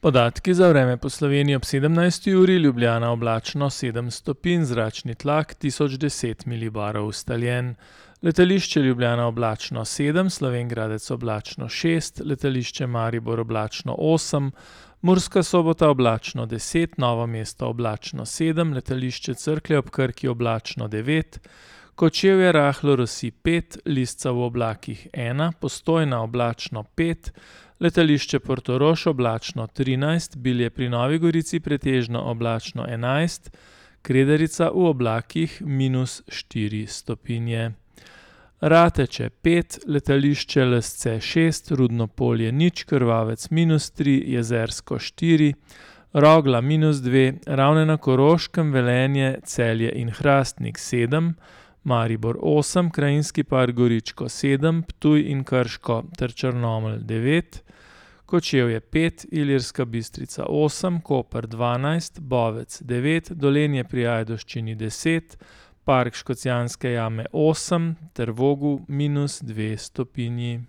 Podatki za vreme po Sloveniji ob 17. uri: Ljubljana oblačno 7 stopinj, zračni tlak 1010 milibarov ustaljen. Letališče Ljubljana oblačno 7, Slovenj Gradec oblačno 6, letališče Maribor oblačno 8, Murska Sobota oblačno 10, Novo mesto oblačno 7, letališče Cerklje ob Krki oblačno 9, Kočevje rahlo rosi 5, Lisca v oblakih 1, Postojna oblačno 5, letališče Portorož oblačno 13, Bilje pri Novi Gorici pretežno oblačno 11, Kredarica v oblakih -4 stopinje. Rateče 5, letališče Lesce 6, Rudno Polje 0, Krvavec -3, Jezersko 4, Rogla -2, Ravne na Koroškem, Velenje, Celje in Hrastnik 7, Maribor 8, Krajinski park Goričko 7, Ptuj in Krško ter Črnomelj 9, Kočevje 5, Ilirska Bistrica 8, Koper 12, Bovec 9, Dolenje pri Ajdovščini 10, Park Škocjanske jame 8 ter Vogu -2 stopinji.